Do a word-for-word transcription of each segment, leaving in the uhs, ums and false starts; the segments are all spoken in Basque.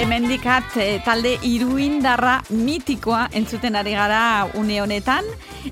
hemendikat e, talde iruindarra mitikoa entzuten ari gara une honetan,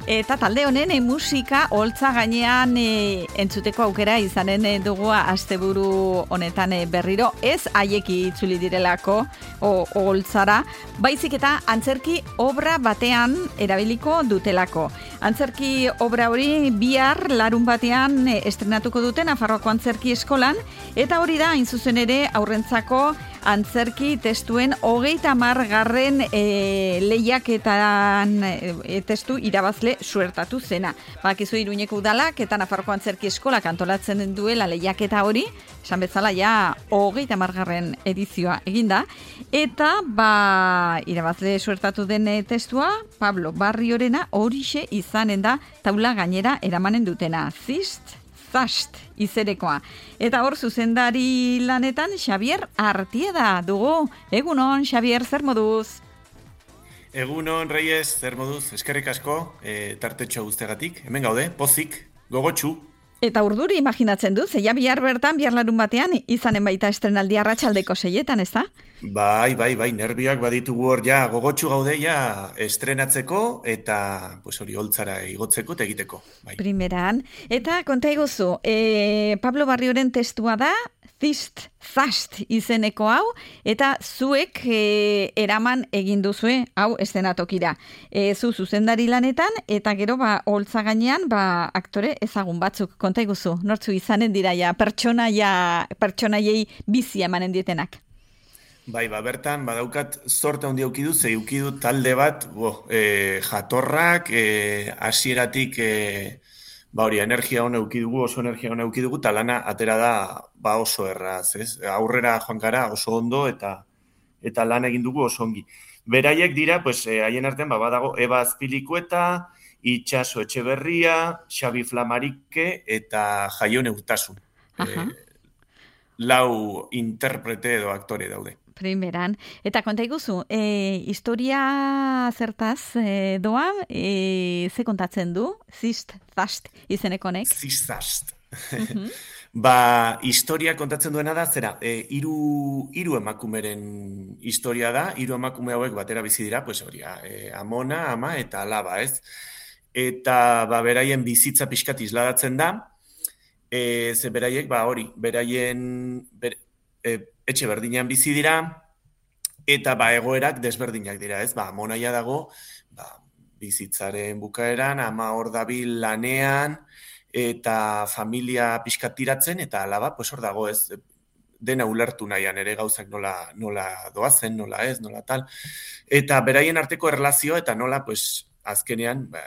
eta talde honen e, musika holtza gainean e, entzuteko aukera izanen e, dugu asteburu honetan e, berriro, ez haieki itzuli direlako o, holtzara, baizik eta antzerki obra batean erabiliko dutelako. Antzerki obra hori bihar larun batean e, estrenatuko duten Nafarroako Antzerki Eskolan, eta hori da, hain zuzen ere, aurrentzako antzerki testuen hogeita margarren e, lehiaketan e, testu irabazle suertatu zena. Bakizu Iruñeko udalak eta Nafarroako Antzerki Eskolak antolatzen duela lehiaketa hori, esan bezala ja hogeita margarren edizioa eginda, eta ba irabazle suertatu den testua Pablo Barriorena horixe izanen da taula gainera eramanen dutena. Zist Zast izerekoa. Eta hor zuzendari lanetan Xabier Artieda dugu. Egunon, Xabier, zer moduz? Egunon, Reyes, zer moduz? Eskerrik asko, e, tartetxo guztegatik. Hemen gaude, pozik, gogotxu. Eta urduri imaginatzen du, zeia bihar bertan, bihar larun batean, izanen baita estrenaldi arratsaldeko seietan, ez da? Bai, bai, bai, nervioak baditugu hor ja, gogotxu gaude ja estrenatzeko eta pues hori holtzara igotzeko eta egiteko. Bai. Primeran. Eta konta iguzu, e, Pablo Barrioren testua da, Zist, Zast izeneko hau, eta zuek e, eraman egin duzue hau eszenatokira. E, zu zuzendari lanetan, eta gero ba holtza gainean ba aktore ezagun batzuk. Konta iguzu, nortzu izanen dira ja, pertsonaia, pertsonaiei bizi emanen dietenak. Bai, ba, bertan, badaukat zorte handi aukidu, ze aukidu talde bat, bo, e, jatorrak, e, hasieratik, e, ba hori, energia hona eukidugu, oso energia hona eukidugu, eta lana atera da ba oso erraz, ez? Aurrera joan gara oso ondo, eta eta lan egin dugu oso ongi. Beraiek dira, pues, haien artean, ba, badago, Eba Azpilikueta, Itxaso Etxeberria, Xabi Flamarike, eta Jaione Urtasun. E, lau interprete edo aktore daude. Primeran. Eta konta iguzu, e, historia zertaz e, doa, e, ze kontatzen du? Zist, Zast izenekonek? Zist, Zast. Uh-huh. Ba, historia kontatzen duena da, zera, e, iru, iru emakumeren historia da, iru emakume hauek batera bizi dira, pues hori, e, amona, ama eta alaba, ez? Eta, ba, beraien bizitza pixkat isladatzen da, e, ze beraiek, ba, hori, beraien, ber, e, etxe berdinean bizi dira, eta ba egoerak desberdinak dira, ez? Ba, amonaia dago, ba, bizitzaren bukaeran, ama hor dabil lanean, eta familia pixkat tiratzen, eta alaba, pues hor dago, ez? Dena ulertu nahian ere gauzak nola, nola doazen, nola ez, nola tal. Eta beraien arteko erlazioa, eta nola, pues, azkenean, ba,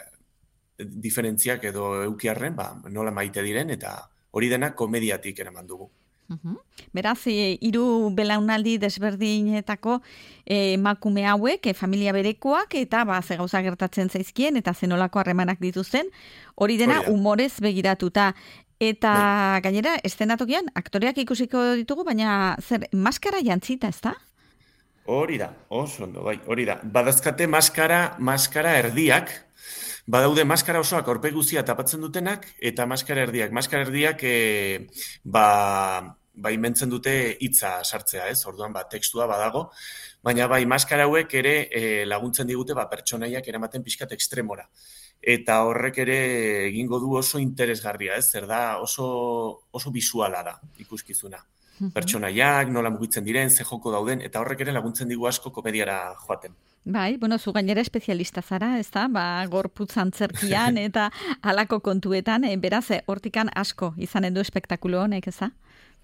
diferentziak edo eukiarren, ba, nola maite diren, eta hori dena komediatik eraman dugu. Uhum. Beraz, e, hiru belaunaldi desberdinetako emakume e, hauek, e, familia berekoak, eta ba, ze gauza gertatzen zaizkien, eta zenolako harremanak dituzten, hori dena Oida. Humorez begiratuta. Eta bai. Gainera, eszenatokian, aktoreak ikusiko ditugu, baina zer, maskara jantzita, ez da? Hori da, oso ondo, bai, hori da. Badazkate maskara, maskara erdiak, badaude maskara osoak aurpegi guztia tapatzen dutenak, eta maskara erdiak. Maskara erdiak, e, ba, ba imentzen dute hitza sartzea, ez? Orduan, ba, tekstua badago, baina bai, maskara hauek ere e, laguntzen digute, ba, pertsonaiak eramaten pixkat ekstremora. Eta horrek ere egingo du oso interesgarria, ez? Zer da, oso, oso bisuala da, ikuskizuna. Pertsonaiak, nola mugitzen diren, ze joko dauden, eta horrek ere laguntzen digu asko komediara joaten. Bai, bueno, zu gainera espezialista zara, ez da? Ba, gorputz antzerkian eta halako kontuetan, e, beraz, hortikan asko izanen du espektakulo honek, ez da?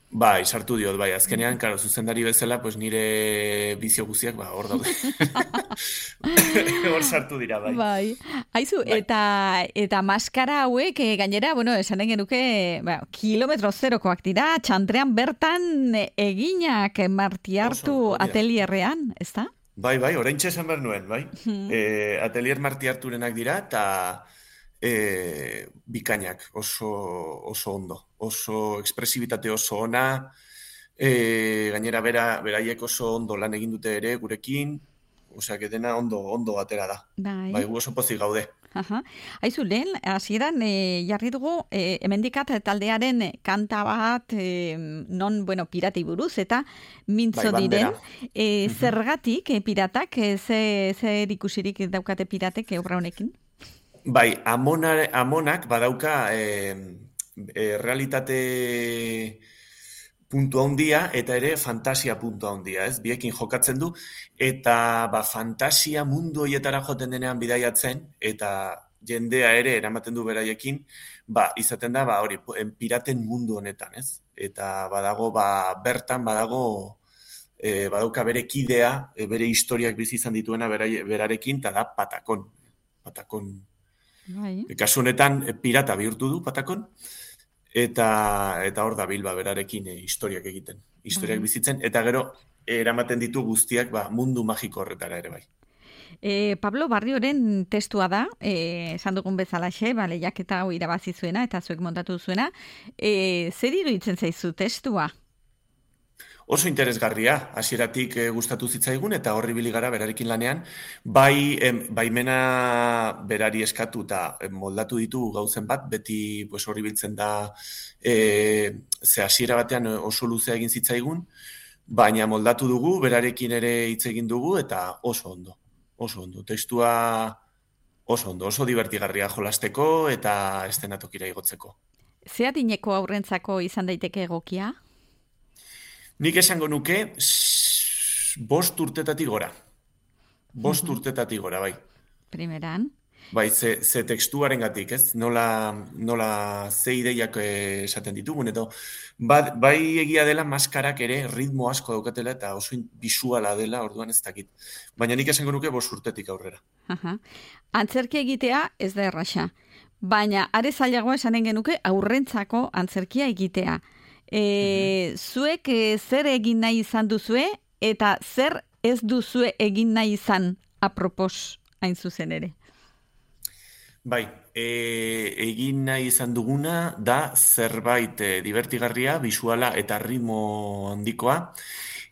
Bai, sartu diot, bai, azkenean, karo, zuzendari bezala, pues nire bizio guziak, ba, hor daude. Hor sartu dira, bai. Bai, haizu, bai. Eta, eta maskara hauek, e, gainera, bueno, esanen genuke, ba, kilometro zerokoak dira, txantrean bertan eginak Martiartu atelierrean, ez da? Bai, bai, oraintxe esan behar nuen, bai. Hmm. E, atelier Martiarturenak dira, eta e, bikainak, oso, oso ondo. Oso ekspresibitate oso ona, e, gainera bera, beraiek oso ondo lan egin dute ere gurekin, osea, dena ondo, ondo atera da. Bai. Bai, gu oso pozik gaude. Aha. Aizu, lehen, hasieran e, jarri dugu, e, hemendikat taldearen kanta bat, e, non, bueno, piratei buruz, eta mintzo Bai, diren, bandera. e, Mhm. zergatik, e, piratak, e, ze, zer ikusirik daukate piratek e, obra honekin? Bai, amona, amonak badauka e, e, realitate puntu handia eta ere fantasia puntu handia, ez? Biekin jokatzen du eta ba fantasia mundu hoietara joten denean bidaiatzen eta jendea ere eramaten du beraiekin, ba izaten da ba hori piraten mundu honetan, ez? Eta badago ba bertan badago e, badauka bere kidea, e, bere historiak bizi izan dituena berai, berarekin eta da Patakon. Patakon. Bai. E, kasu honetan e, pirata bihurtu du Patakon. Eta eta hor da Bilba berarekin e, historiak egiten, historiak Bai. bizitzen, eta gero eramaten ditu guztiak ba, mundu magiko horretara ere bai. E, Pablo Barrioren testua da, e, esan dugun bezalaxe, ba, lehiaketa hau irabazi zuena eta zuek montatu zuena. E, zer iruditzen zaizu testua? Oso interesgarria, hasieratik e, gustatu zitzaigun eta horri ibili gara berarekin lanean, bai em, baimena berari eskatu eta em, moldatu ditu gauzen bat, beti pues, horri biltzen da e, ze hasiera batean oso luzea egin zitzaigun, baina moldatu dugu, berarekin ere hitz egin dugu eta oso ondo, oso ondo. Testua oso ondo, oso divertigarria jolasteko eta estenatokira igotzeko. Ze adineko aurrentzako izan daiteke egokia? Nik esango nuke s- bost urtetatik gora. Bost Mhm. urtetatik gora, bai. Primeran. Bai, ze, ze tekstuaren gatik, ez? Nola, nola ze ideiak eh, esaten ditugun, edo ba, bai egia dela maskarak ere ritmo asko daukatela eta oso in- bisuala dela, orduan ez dakit. Baina nik esango nuke bost urtetik aurrera. Aha. Antzerki egitea ez da erraxa. Baina are zailagoa esanen genuke aurrentzako antzerkia egitea. E, zuek e, zer egin nahi izan duzue eta zer ez duzue egin nahi izan apropos hain zuzen ere. Bai, e, egin nahi izan duguna da zerbait e, divertigarria, bisuala eta ritmo handikoa,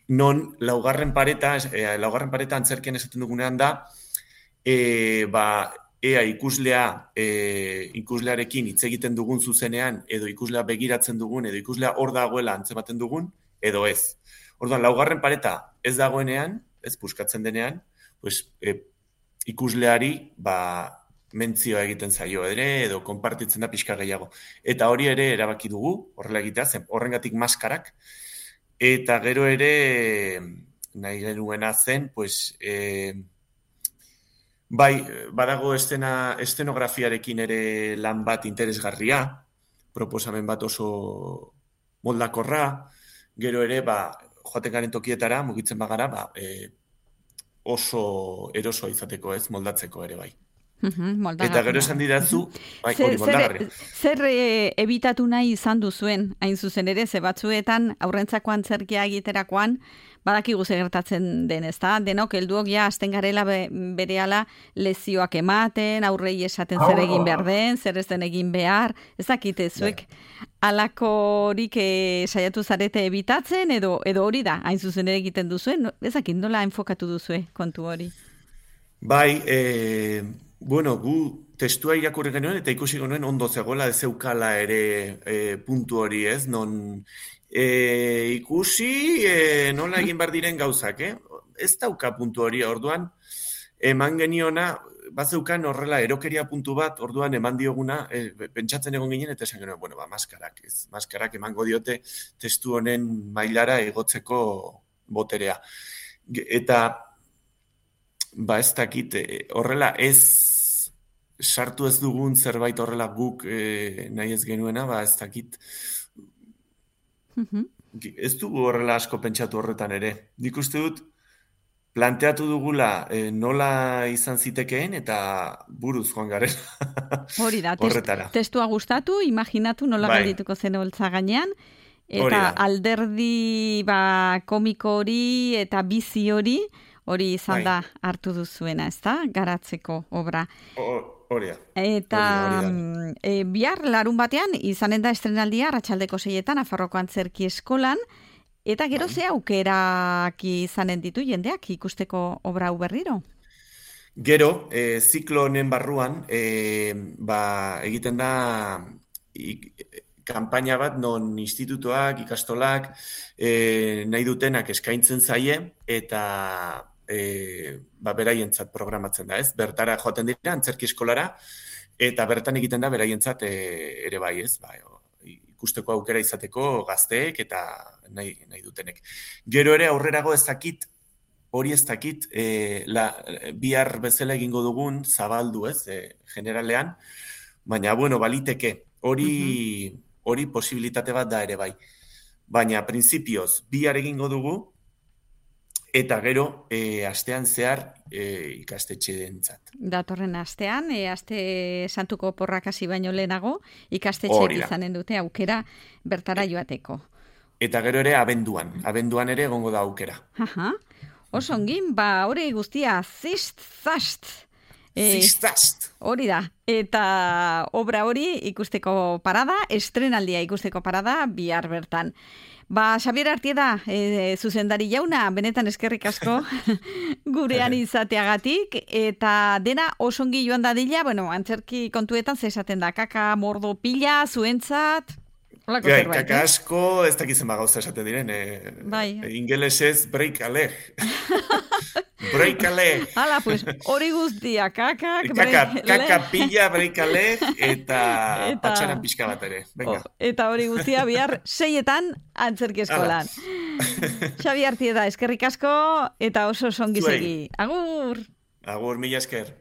non laugarren pareta, e, laugarren pareta antzerkian esaten dugunean da, e, ba, ea ikuslea, e, ikuslearekin hitz egiten dugun zuzenean, edo ikuslea begiratzen dugun, edo ikuslea hor dagoela antzematen dugun, edo ez. Orduan, laugarren pareta ez dagoenean, ez puskatzen denean, pues, e, ikusleari, ba, mentzioa egiten zaio ere, edo konpartitzen da pixka gehiago. Eta hori ere erabaki dugu, horrela egitea, zen horrengatik maskarak, eta gero ere nahi genuena zen, pues, e, bai, badago estena, estenografiarekin ere lan bat interesgarria, proposamen bat oso moldakorra, gero ere, ba, joaten garen tokietara, mugitzen bagara, ba, e, oso erosoa izateko ez, moldatzeko ere bai. Eta gero esan didazu, bai, Zer, hori moldagarria. zer, zer e, ebitatu nahi izan duzuen, hain zuzen ere, ze batzuetan aurrentzako antzerkia egiterakoan, badakigu ze gertatzen den, ezta? Denok helduok ja hasten garela be, berehala lezioak ematen, aurrei esaten zer egin behar den, zer ez den egin behar, ez dakite zuek alakorik e, saiatu zarete ebitatzen, edo edo hori da, hain zuzen ere egiten duzuen, ez dakit nola enfokatu duzue kontu hori? Bai, e, bueno, gu testua irakurri genuen eta ikusi genuen ondo zegoela ez zeukala ere e, puntu hori, ez? Non e, ikusi e, nola egin behar diren gauzak, eh? Ez dauka puntu hori, orduan eman geniona, bazeukan horrela erokeria puntu bat, orduan eman dioguna, e, pentsatzen egon ginen eta esan genuen, bueno, ba, maskarak, ez? Maskarak emango diote testu honen mailara igotzeko boterea. Eta ba ez dakit, horrela ez sartu ez dugun zerbait horrela guk e, nahi ez genuena, ba ez dakit. Mhm. Ez dugu horrela asko pentsatu horretan ere. Nik uste dut planteatu dugula e, nola izan zitekeen eta buruz joan garela. Hori da, test, horretara. testua gustatu, imaginatu nola Bai. geldituko zen holtza gainean, Hori eta da. alderdi ba, komiko hori eta bizi hori, hori izan Bai. da hartu duzuena, ezta? Garatzeko obra. Ho- Hori da. Eta Hori da, hori da. mm, e, bihar larun batean izanen da estrenaldia arratsaldeko seietan Nafarroako Antzerki Eskolan, eta gero Bai. ze aukerak izanen ditu jendeak ikusteko obra hau berriro? Gero, e, ziklo honen barruan, e, ba, egiten da ik, kanpaina bat non institutuak, ikastolak, e, nahi dutenak eskaintzen zaie, eta e, ba, beraientzat programatzen da, ez? Bertara joaten dira, antzerki eskolara, eta bertan egiten da beraientzat e, ere bai, ez? Ba, ikusteko aukera izateko gazteek eta nahi, nahi dutenek. Gero ere aurrerago ez dakit, hori ez dakit, e, la, bihar bezala egingo dugun zabaldu, ez, e, generalean, baina, bueno, baliteke, hori, uh-huh. hori posibilitate bat da ere bai. Baina, printzipioz, bihar egingo dugu, eta gero, e, astean zehar e, ikastetxe dentzat. Datorren astean, e, aste santuko porrak hasi baino lehenago, ikastetxeek izanen dute aukera bertara joateko. Eta gero ere abenduan, abenduan ere egongo da aukera. Aha. Oso ongin, ba, hori guztia, zist, zast. E, Zist, hori da. Eta obra hori ikusteko parada, estrenaldia ikusteko parada, bihar bertan. Ba, Xabier Artieda, e, zuzendari jauna, benetan eskerrik asko gurean izateagatik, eta dena oso ongi joan dadila, bueno, antzerki kontuetan zesaten da, kaka mordo pila, zuentzat... Gai, kaka asko, ez dakizen ba gauza esaten diren, eh, bai. Ingelesez break a leg. Break a leg. Hala, pues, hori guztia, kakak, kaka, kaka pilla, break a leg, eta, eta... patxaran pixka bat ere. Venga. Oh, eta hori guztia bihar seietan antzerki eskolan. Xabi Artieda, eskerrik asko, eta oso songi segi. Agur! Agur, mila esker.